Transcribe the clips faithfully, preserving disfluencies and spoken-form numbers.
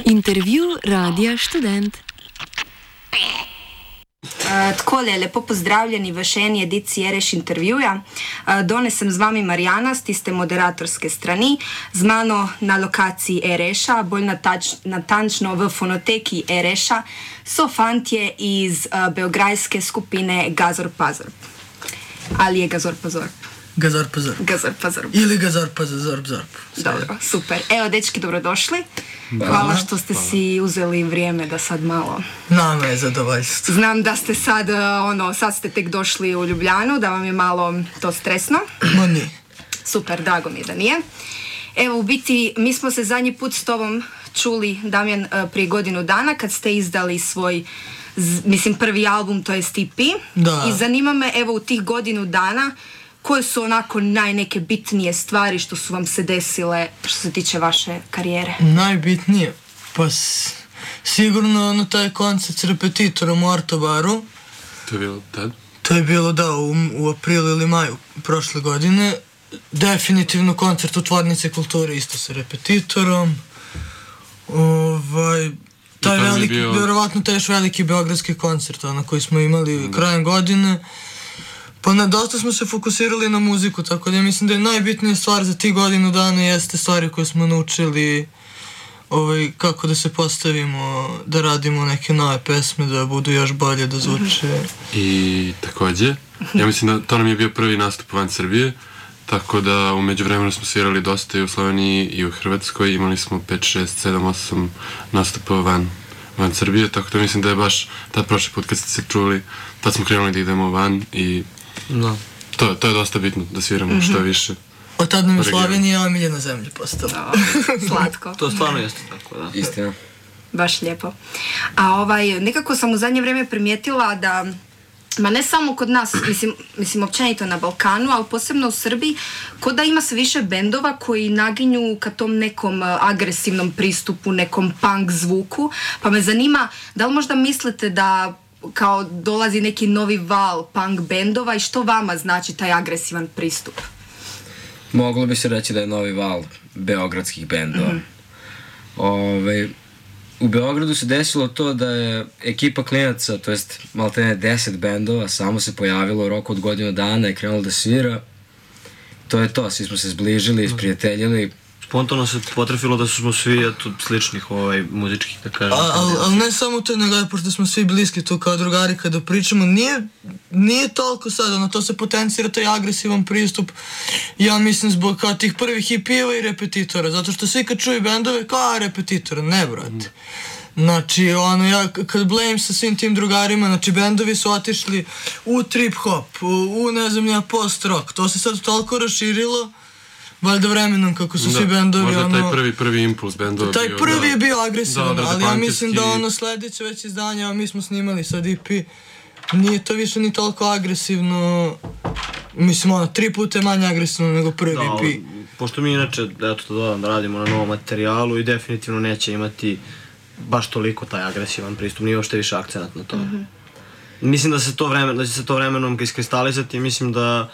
Intervju Radija Študent. Uh, Takole, lepo pozdravljeni v še eni ediciji Ereš intervjuja. Uh, Danes sem z vami Marjana, z tiste moderatorske strani, z mano na lokaciji Ereša, bolj natač, natančno v fonoteki Ereša, so fantje iz uh, beograjske skupine Gazor Pazor. Ali je Gazor Pazor? Gazor Pazor. Gazor Pazor. Ili Gazor Pazor, Zorb Zorb. Dobro, super. Evo, dečki, dobrodošli. Hvala što ste si uzeli vrijeme da sad malo... Nama je zadovoljstvo. Znam da ste sad, ono, sad ste tek došli u Ljubljanu, da vam je malo to stresno. Ma nije. Super, drago mi je da nije. Evo, u biti, mi smo se zadnji put s tobom čuli, Damjan, prije godinu dana, kad ste izdali svoj, mislim, prvi album, to je E P. Da. I zanima me, evo, u tih godinu dana, koje su onako najneke bitnije stvari što su vam se desile što se tiče vaše karijere? Najbitnije? Pa s, sigurno ono taj koncert s Repetitorom u Artobaru. To je bilo tad? To je bilo, da, u, u aprilu ili maju prošle godine. Definitivno koncert u Tvornici kulture isto sa Repetitorom. Ovaj... Taj veliki, bio... vjerovatno taj još veliki beogradski koncert, ono koji smo imali mm. krajem godine. Pa na dosta smo se fokusirali na muziku, tako da ja mislim da je najbitnija stvar za tih godinu dana jeste stvari koje smo naučili, ovaj, kako da se postavimo, da radimo neke nove pesme, da budu još bolje, da zvuče. I takođe, ja mislim da to nam je bio prvi nastup van Srbije, tako da u međuvremenu smo svirali dosta i u Sloveniji i u Hrvatskoj, imali smo pet, šest, sedam, osam nastupa van, van Srbije, tako da mislim da je baš tad prošli put kad ste se čuli, tad smo krenuli da idemo van i no. To, to je dosta bitno, da sviramo mm-hmm. što više. Od tad nam je Slovenija omiljena zemlja postala. No, slatko. To stvarno jeste tako, da. Istina. Baš lijepo. A ovaj, nekako sam u zadnje vrijeme primijetila da, ma ne samo kod nas, mislim, mislim općenito na Balkanu, ali posebno u Srbiji, kod da ima sve više bendova koji naginju ka tom nekom agresivnom pristupu, nekom punk zvuku, pa me zanima, da li možda mislite da kao dolazi neki novi val punk bendova i što vama znači taj agresivan pristup? Moglo bi se reći da je novi val beogradskih bendova. Mm-hmm. Ove, u Beogradu se desilo to da je ekipa klinaca, to jest maltene deset bendova, samo se pojavilo u roku od godinu dana i krenulo da svira. To je to, svi smo se zbližili, isprijateljili. Spontano se potrefilo da smo svi eto, sličnih ovaj, muzičkih, da kažem. Ali al ne samo to, nego je, pošto smo svi bliski tu kao drugari kada pričamo, nije, nije toliko sad, ono, to se potencira taj agresivan pristup, ja mislim zbog kao tih prvih hipijeva i Repetitora, zato što svi kad čuju bendove, kao Repetitora, ne brate. Znači, ono, ja kad blame sa svim tim drugarima, znači, bendovi su otišli u trip-hop, u, u ne znam ja, post-rock, to se sad toliko raširilo, valjda vremenom kako su da, svi bendovi, možda ono... taj prvi, prvi impuls bendova taj bio... Taj prvi da, je bio agresivan, da, ali ja mislim da ono sledeće već izdanje, a mi smo snimali sad E P, nije to više ni toliko agresivno, mislim ono, tri puta je manje agresivno nego prvi da, E P. Pošto mi inače, eto to dodam, da radimo na novom materijalu i definitivno neće imati baš toliko taj agresivan pristup, nije uopšte više akcenat na to. Mm-hmm. Mislim da, se to vremen, da će se to vremenom iskristalizati i mislim da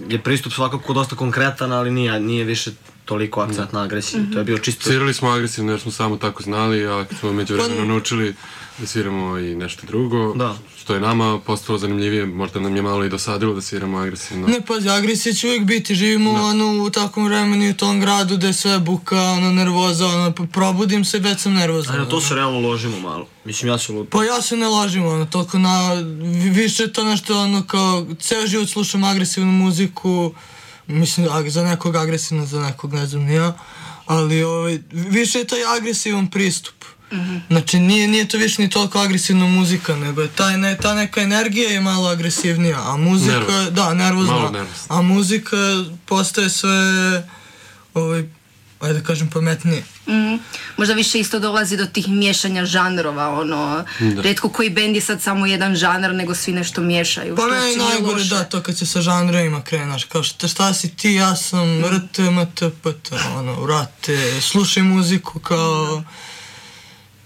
je pristup svakako dosta konkretan, ali nije, nije više toliko akcent na agresiju. Mm-hmm. To je bio čisto... Svirali smo agresivno jer smo samo tako znali, a kad smo među vremenu naučili da sviramo i nešto drugo, da. Što je nama postalo zanimljivije, možda nam je malo i dosadilo da sviramo agresivno. Ne, pazi, agresija će uvijek biti, živimo da. Ono, u takvom vremenu i u tom gradu gde je sve buka, ono, nervoza, ono, probudim se, već sam nervozan. A na to ono. Se realno ložimo malo, mislim ja se ložimo. Pa ja se ne ložim, ono, toliko na, više je to nešto, ono, kao, ceo život slušam agresivnu muziku, mislim, za nekog agresivno, za nekog ne znam ja, ali, ovaj, više je taj agresivan pristup. Mm-hmm. Znači nije, nije to više ni toliko agresivna muzika, nego je taj, ne, ta neka energija je malo agresivnija, a muzika, nervos. Da, nervozna, a muzika postaje sve, ovaj, ajde da kažem, pametnije. Mm-hmm. Možda više isto dolazi do tih miješanja žanrova, ono, da. Retko koji bend je sad samo jedan žanr, nego svi nešto miješaju. Pa meni najgore da, to kad se sa žanrovima krenaš, kao šta, šta si ti, ja sam mm. rte, mte, pte, ono, vrate, slušaj muziku kao...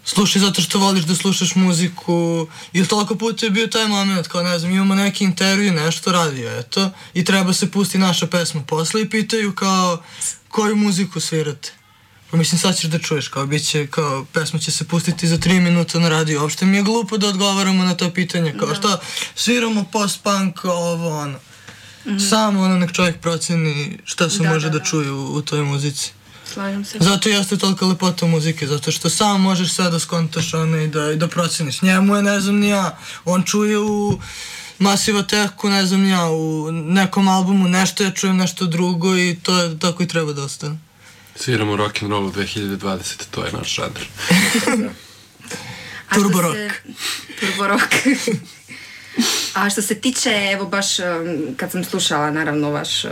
slušaj zato što voliš da slušaš muziku, ili toliko puta je bio taj moment, kao ne znam, imamo neki intervju, nešto radio, eto, i treba se pusti naša pesma posle i pitaju kao koju muziku svirate. Pa mislim sad ćeš da čuješ, kao bit će, kao pesma će se pustiti za tri minuta na radio, uopšte mi je glupo da odgovaramo na ta pitanja, kao šta, sviramo post-punk, ovo, ono. Mm-hmm. Samo ono nek čovjek proceni šta se da, može da, da, da čuje u, u toj muzici. Slažem se. Zato jeste tolika lepota muzike, zato što sam možeš sve da skontaš ono, i, da, i da proceniš. Njemu je, ne znam ni ja, on čuje u Massive Attacku, ne znam ni ja, u nekom albumu nešto, ja čujem nešto drugo i to je tako i treba da ostane. Sviramo rock'n'roll u dve hiljade dvadesete. to je naš žanr. Turbo rock. Se... Turbo rock. A što se tiče, evo baš kad sam slušala, naravno vaš,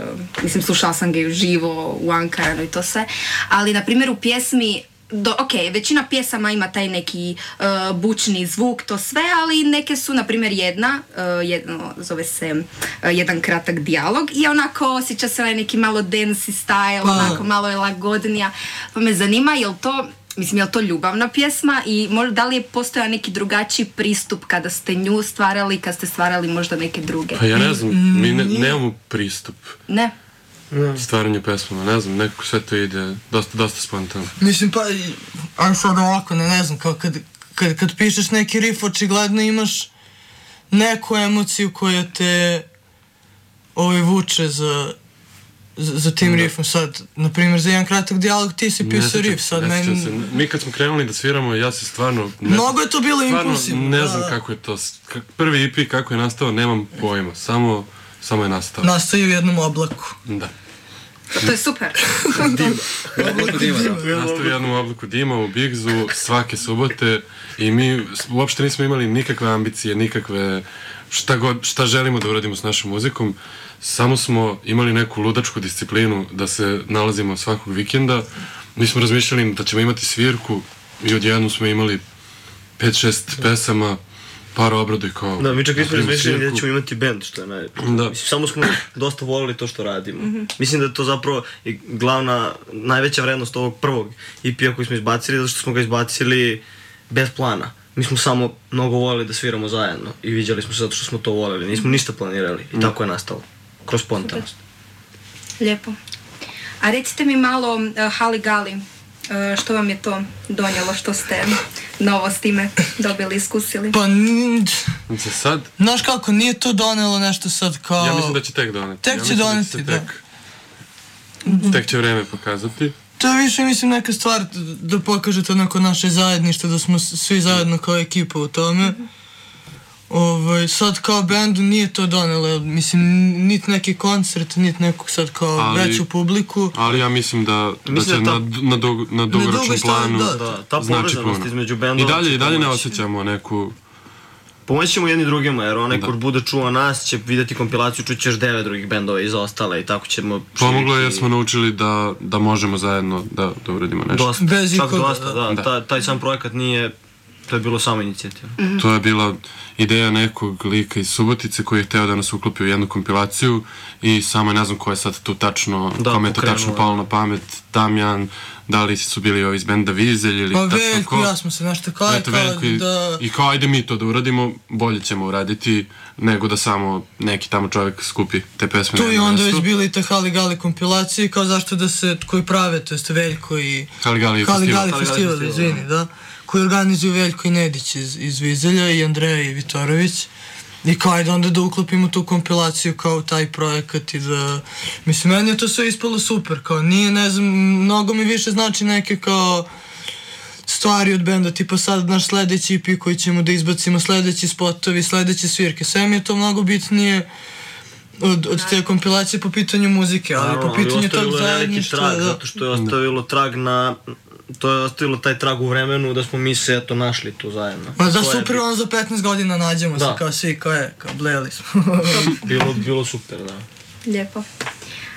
mislim slušala sam ga i uživo u Ankaranu i to sve, ali na primjer u pjesmi, do, ok, većina pjesama ima taj neki uh, bučni zvuk, to sve, ali neke su, na primjer jedna, uh, jedno, zove se uh, jedan kratak dijalog i onako osjeća se ovaj neki malo dancey style, pa. Onako malo je lagodnija, pa me zanima, jel to... Mislim, je li to ljubavna pjesma i možda da li je postojao neki drugačiji pristup kada ste nju stvarali, kad ste stvarali možda neke druge? Pa ja ne znam, mi ne, nemamo pristup. Ne? Stvaranju pesmama, ne znam, nekako sve to ide dosta, dosta spontano. Mislim, pa, ali sad ovako, ne, ne znam, kao kad, kad, kad pišeš neki riff, očigledno imaš neku emociju koja te ovaj, vuče za... za tim riffom sad, na primjer za jedan kratak dijalog ti si pisao riff, sad meni... Se. Mi kad smo krenuli da sviramo, ja se stvarno... Ne Mnogo je to bilo impulsivno. Ne znam da, kako je to, prvi E P kako je nastao, nemam pojma, samo, samo je nastao. Nastao je u jednom oblaku. Da. To je super. Dima. Oblaku dima, da. Nastao u jednom oblaku dima u Bigzu svake subote i mi uopšte nismo imali nikakve ambicije, nikakve šta god, šta želimo da uradimo s našom muzikom. Samo smo imali neku ludačku disciplinu da se nalazimo svakog vikenda. Mi smo razmišljali da ćemo imati svirku i odjednom smo imali pet šest pesama, par obradu i kao... Da, mi čak nismo razmišljali da ćemo imati band, što je naj... Da. Mislim, samo smo dosta volili to što radimo. Mm-hmm. Mislim da je to zapravo i glavna, najveća vrednost ovog prvog E P-a koji smo izbacili, zato što smo ga izbacili bez plana. Mi smo samo mnogo volili da sviramo zajedno i viđali smo se zato što smo to volili. Nismo ništa planirali i tako je nastalo. Kroz spontanost. Lijepo. A recite mi malo, uh, Hali Gali, uh, što vam je to donijelo, što ste novo s time dobili, iskusili? Pa, n- Za sad? Znaš kako, nije to donijelo nešto sad kao... Ja mislim da će tek doneti. Tek ja će doneti, da. Tek, tek će vreme pokazati. To je više, mislim, neka stvar da pokažete onako naše zajedništvo, da smo svi zajedno kao ekipa u tome. Mm-hmm. Ovaj, sad kao bendu nije to donelo, mislim, niti neki koncert, niti nekog sad kao ali, veću publiku. Ali ja mislim da, da će da ta, na, na, dug, na dugoročnom planu da, da, ta znači puno. Između bendova I dalje, i dalje ne osjećamo neku... Pomoći ćemo jedni drugima, jer onaj ko bude čuo nas će vidjeti kompilaciju, čući još devet drugih bendova iza ostale i tako ćemo... Pomoglo je jer smo naučili da, da možemo zajedno da, da uradimo nešto. Dosta, Bez čak dosta, da. da. Ta, taj sam projekat nije... To je bilo samo inicijativa. Mm-hmm. To je bila ideja nekog lika iz Subotice koji je hteo da nas uklopi u jednu kompilaciju i samo ne znam ko je sad tu tačno, da, kome je to tačno palo na pamet, Damjan, da li su bili ovi iz benda Vizelj ili pa tačno Veljko, ko. Ja smo se nešto kao, Eto, Veljko i, da... i kao ajde mi to da uradimo, bolje ćemo uraditi nego da samo neki tamo čovjek skupi te pesme. Tu i onda već bili te Hali Gali kompilacije, kao zašto da se, koji prave, to jest Veljko i... Hali Gali Hali festival. Gali festival, izvini, da. Koji organizuju Veljko i Nedić iz, iz Vizelja i Andreja i Vitorović. I kao ajde onda da uklopimo tu kompilaciju kao taj projekat i da... Mislim, meni je to sve ispalo super, kao nije, ne znam, mnogo mi više znači neke kao stvari od benda, tipa sad naš sledeći E P koji ćemo da izbacimo, sledeći spotovi, sledeće svirke, sve mi je to mnogo bitnije od, od te kompilacije po pitanju muzike, ali Naravno, po pitanju tog zajedništva... Trag, da. Zato što je ostavilo trag na... To je ostavilo taj trag u vremenu da smo mi se eto našli tu zajedno. Ma da super, ono za petnaest godina nađemo da. Se kao svi, kao je, kao bleli smo. bilo, bilo super, da. Lijepo.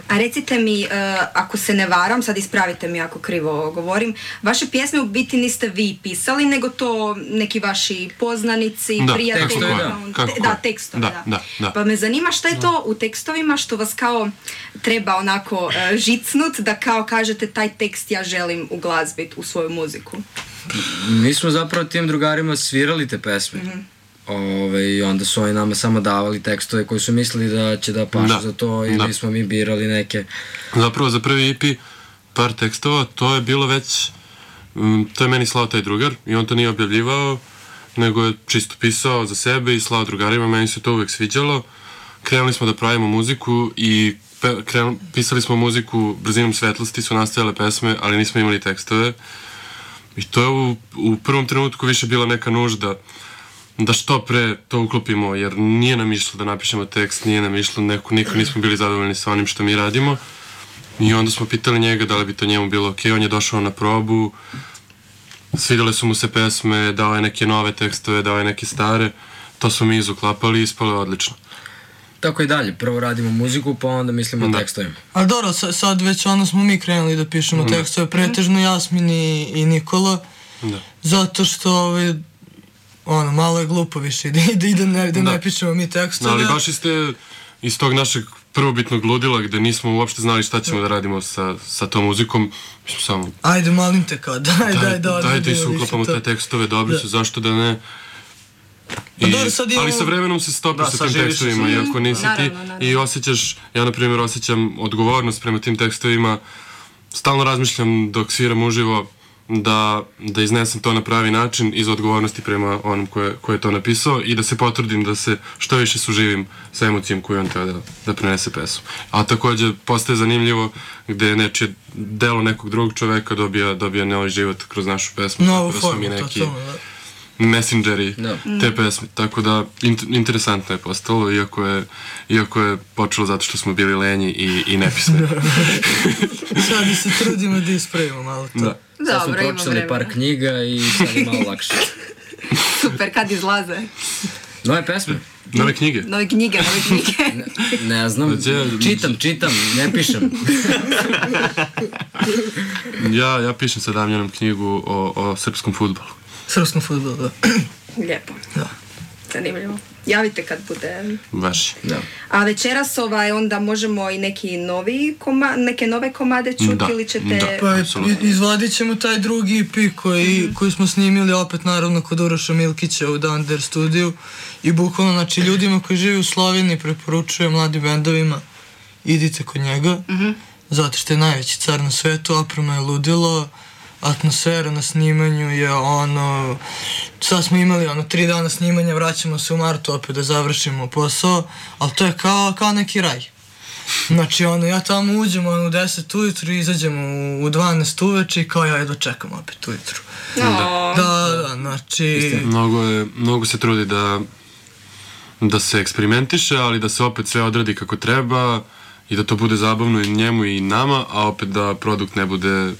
A recite mi, uh, ako se ne varam, sad ispravite mi ako krivo govorim, vaše pjesme u biti niste vi pisali, nego to neki vaši poznanici, da, prijatelji. Tekstovi, da, kako, te, da, tekstovi, da, da. Da, da. Pa me zanima šta je to u tekstovima što vas kao treba onako uh, žicnut, da kao kažete taj tekst ja želim uglazbit u svoju muziku. Mi smo zapravo tim drugarima svirali te pesme. Mm-hmm. Ove, i onda su oni nama samo davali tekstove koji su mislili da će da pašu Da, za to ili da. smo mi birali neke. Zapravo za prvi E P par tekstova, to je bilo već, um, to je meni slao taj drugar i on to nije objavljivao, nego je čisto pisao za sebe i slao drugarima, meni se to uvek sviđalo. Krenuli smo da pravimo muziku i pe, krenuli, pisali smo muziku brzinom svetlosti, su nastajale pesme, ali nismo imali tekstove. I to je u, u prvom trenutku više bila neka nužda da što pre to uklopimo, jer nije nam išlo da napišemo tekst, nije nam išlo, neko, niko nismo bili zadovoljni sa onim što mi radimo. I onda smo pitali njega da li bi to njemu bilo okej, on je došao na probu, svidjele su mu se pesme, dao je neke nove tekstove, dao je neke stare, to smo mi izuklapali i ispalo je odlično. Tako i dalje, prvo radimo muziku, pa onda mislimo Da. o tekstovima. Ali dobro, sa- sad već ono smo mi krenuli da pišemo Da. tekstove, pretežno Jasmin i, i Nikola, Da. zato što ovaj, ono, malo je glupo više da, da, da, ne, da, Da. ne pišemo mi Da, tekstove. ali baš iz, te, iz tog našeg prvobitnog ludila gde nismo uopšte znali šta ćemo da radimo sa, sa tom muzikom, mi smo samo Ajde, molim te, kao, daj, daj, daj, da dajte i odradimo suklapamo više te to. tekstove, dobri Da. su, zašto da ne. Pa I, dobro, sad imamo- ali sa vremenom se stopiš Da, sa tim saživiš se tekstovima, sa- iako nisi ti, Naravno, naravno. i osjećaš, ja na primjer osjećam odgovornost prema tim tekstovima, stalno razmišljam dok sviram uživo da, da iznesem to na pravi način iz odgovornosti prema onom ko je, ko je to napisao i da se potrudim da se što više suživim sa emocijom koju on treba da, da prenese pesmu. A također postaje zanimljivo gde nečije delo nekog drugog čoveka dobija, dobija novi život kroz našu pesmu. Novu tako da smo formu, mi to neki to, da. messengeri Da. te pesme, tako da int- interesantno je postalo, iako je, iako je počelo zato što smo bili lenji i, i nepismeni. Sad se trudimo da ispravimo malo to. Da. Sad smo Dobro, ima pročitali vremena. par knjiga i sad je malo lakše. Super, kad izlaze? Nove pesme? Nove knjige. Nove knjige, nove knjige. Ne znam, Gdje- čitam, čitam, ne pišem. Ja, ja pišem sa Damjanom knjigu o, o srpskom fudbalu. Srpskom fudbalu, da. Lijepo. Da. Zanimljivo. Javite kad bude. Baš. Da. A večeras ovaj, onda možemo i neki novi koma, neke nove komade čuti Da, ili ćete... da. Pa Apsolutno. i- izvadit ćemo taj drugi E P koji, koji smo snimili opet naravno kod Uroša Milkića u Dunder studiju i bukvalno, znači, ljudima koji žive u Sloveniji preporučujem, mladim bendovima, idite kod njega, zato što je najveći car na svetu, oprema je ludilo, atmosfera na snimanju je ono, sad smo imali ono tri dana snimanja, vraćamo se u martu opet da završimo posao, ali to je kao, kao neki raj. Znači, ono, ja tamo uđem ono, u deset ujutru, izađemo u, u dvanaest uveče i kao ja jedva čekam opet ujutru. No. Da, da, znači... Mnogo, je, mnogo se trudi da, da se eksperimentiše, ali da se opet sve odradi kako treba i da to bude zabavno i njemu i nama, a opet da produkt ne bude,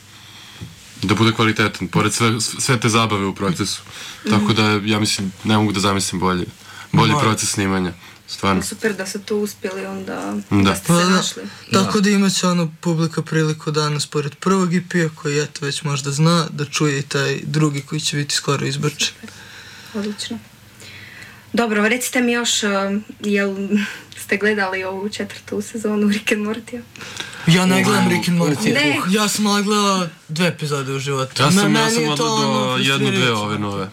da bude kvalitetan, pored sve, sve te zabave u procesu. Tako da, ja mislim, ne mogu da zamislim bolje, bolji Da. proces snimanja, stvarno. Super da ste tu uspjeli onda, Da. da ste Pa se da, našli. tako da imat će ono publika priliku danas pored prvog E P-a koji eto već možda zna da čuje i taj drugi koji će biti skoro izbačen. Odlično. Dobro, recite mi još, um, jel ste gledali ovu četvrtu sezonu Rick and Mortya? Ja ne gledam Rick and Morty. Ne. Ja sam ali gledao dve epizode u životu. Ja Me- sam, ja meni sam je to odgledao ono jednu, dve frustrirajuće. ove nove.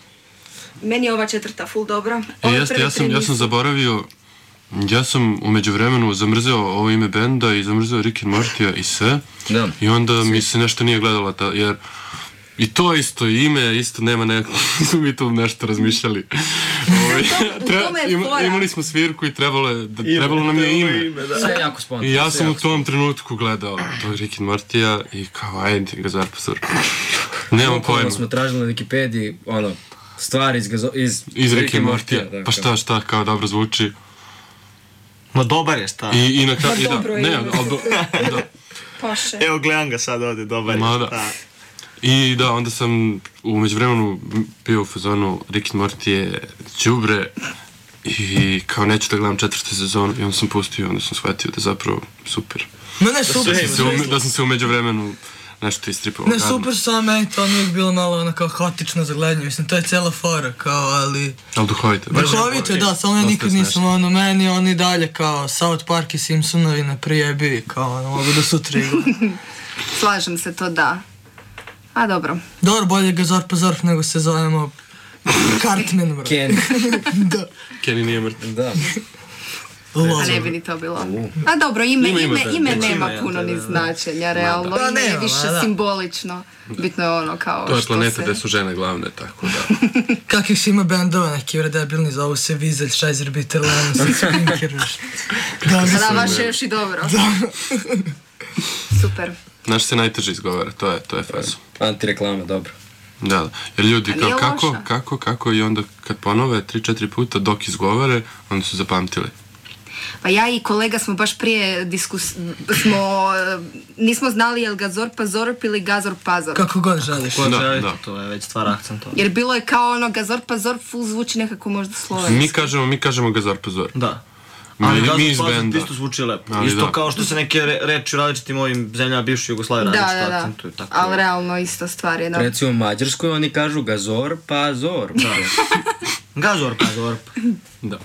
Meni je ova četvrta full dobra. E, Ove jeste, prve ja sam, tri ja sam nisu. zaboravio, ja sam umeđu vremenu zamrzeo ovo ime benda i zamrzeo Rick and Mortya i sve. Da. I onda mi se nešto nije gledalo, ta, jer i to isto ime, isto nema neko, nismo mi tu nešto razmišljali. Ovaj, u tome je ima- fora. imali smo svirku i trebalo, je, da, trebalo nam je ime. Sve je jako spontano. I ja sve sam u jako tom trenutku gledao tog Rick and Mortya i kao, ajde ga zarpazor. Nemam Bukvalno pojma. smo tražili na Wikipediji, ono, stvari iz, gazo, iz, Iz Rick and Mortya, Mortya. da, Pa šta, šta, kao dobro zvuči. Ma dobar je šta. I, i na kraju, Pa i da, dobro je ne, ime. ali, da, Paše. Evo gledam ga sad ovdje, dobar je. Ma da. šta. I da, onda sam u međuvremenu bio u fazonu Rick and Morty je đubre i kao neću da gledam četvrtu sezonu i onda sam pustio i onda sam shvatio da je zapravo super. Ma ne, super. Da sam se, u, da sam se u međuvremenu nešto istripao. Ne, super, samo meni to ono uvijek bilo malo ono kao haotično za gledanje, mislim, to je cijela fora, kao, ali... Ali duhovito. Duhovito je, da, samo ja Dosta nikad smešno. nisam, ono, meni oni dalje kao South Park i Simpsonovi na prijebi, kao, ono, mogu da sutra igram. Slažem se, to da. A dobro. Dobro, bolje ga Zorpa Zorp nego se zovemo Cartman, bro. Kenny. Da. Kenny nije mrtav. Da. A ne bi ni to bilo. A dobro, ime, Ima, ima ime, taj- ime ima, nema ja, puno da, ni da. značenja, realno. Pa Ime je nema, više ma da. simbolično. Bitno je ono kao To je što planeta se... gde su žene glavne, tako da. Kakvih si ima bendova, neki vredebilni, zovu se Vizelj, Šajzer, Bitter, Lennon, Spinker, još. Da, A mislim, da, baš je još i dobro. Super. Naš se najteže izgovara, to je, to je fazo. Antireklama, dobro. Da, da. Jer ljudi A kao nije kako, loša. kako, kako i onda kad ponove tri četiri puta dok izgovore, onda su zapamtili. Pa ja i kolega smo baš prije diskus... smo... eh, nismo znali je li ga Zorpa Zorp ili Gazor Pazor. kako god želiš. Ko Da, želite, da. to je već stvar akcentova. Jer bilo je kao ono Gazor Pazor, full zvuči nekako možda slovenski. Mi kažemo, mi kažemo Gazor Pazor. Da. Mi, Ali mi Gazor iz Pazor benda. isto zvuči lepo. Ali Isto da. kao što se neke re, reči u različitim ovim zemljama bivše Jugoslavije Da, različito da, da. akcentuju. Tako Ali je. realno isto stvar je, da. Recimo u Mađarskoj oni kažu Gazor, pa Zor. Gazor, Pazor. Da.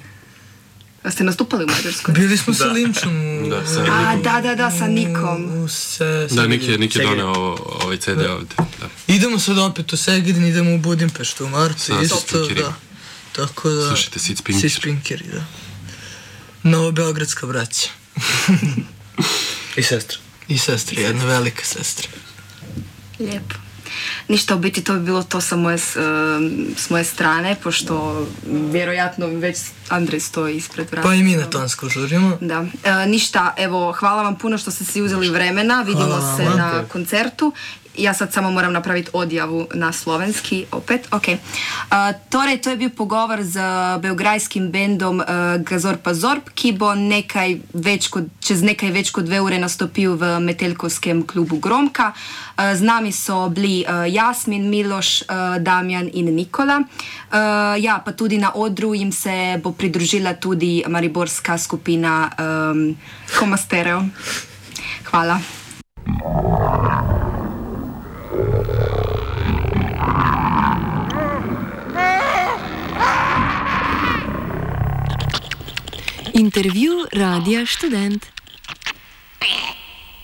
A ste nastupali u Mađarskoj? Bili smo sa Linčom u... Da, sa A, da, da, da, sa Nikom. u se, Da, Nik je, Nik je Segedin. doneo ovo- ovaj ce de ovde. Da. Idemo sad opet u Segedin, idemo u Budimpeštu u martu, Sa isto, Sitspinkerima. da. Tako da... Slušajte, Sid Spinker. Sitspinkeri, da. Novobeogradska braća. I sestra. I sestra, jedna velika sestra. Lijepo. Ništa, u biti to bi bilo to sa moje, s, em, s moje strane, pošto vjerojatno već Andrej stoji ispred vrata. Pa i mi na tonsko žurimo. Da. E, ništa, evo, hvala vam puno što ste si uzeli vremena, vidimo Hvala se vama. na koncertu. Ja sad samo moram napraviti odjavu na slovenski, opet, ok. Uh, torej, to je bil pogovor z beograjskim bendom uh, Gazorpa Zorp, ki bo nekaj več kot, čez nekaj več kot dve ure nastopil v Metelkovskem klubu Gromka. Uh, z nami so bili uh, Jasmin, Miloš, uh, Damjan in Nikola. Uh, ja, pa tudi na odru jim se bo pridružila tudi mariborska skupina um, Koma Stereo. Hvala. Intervju Radia Študent.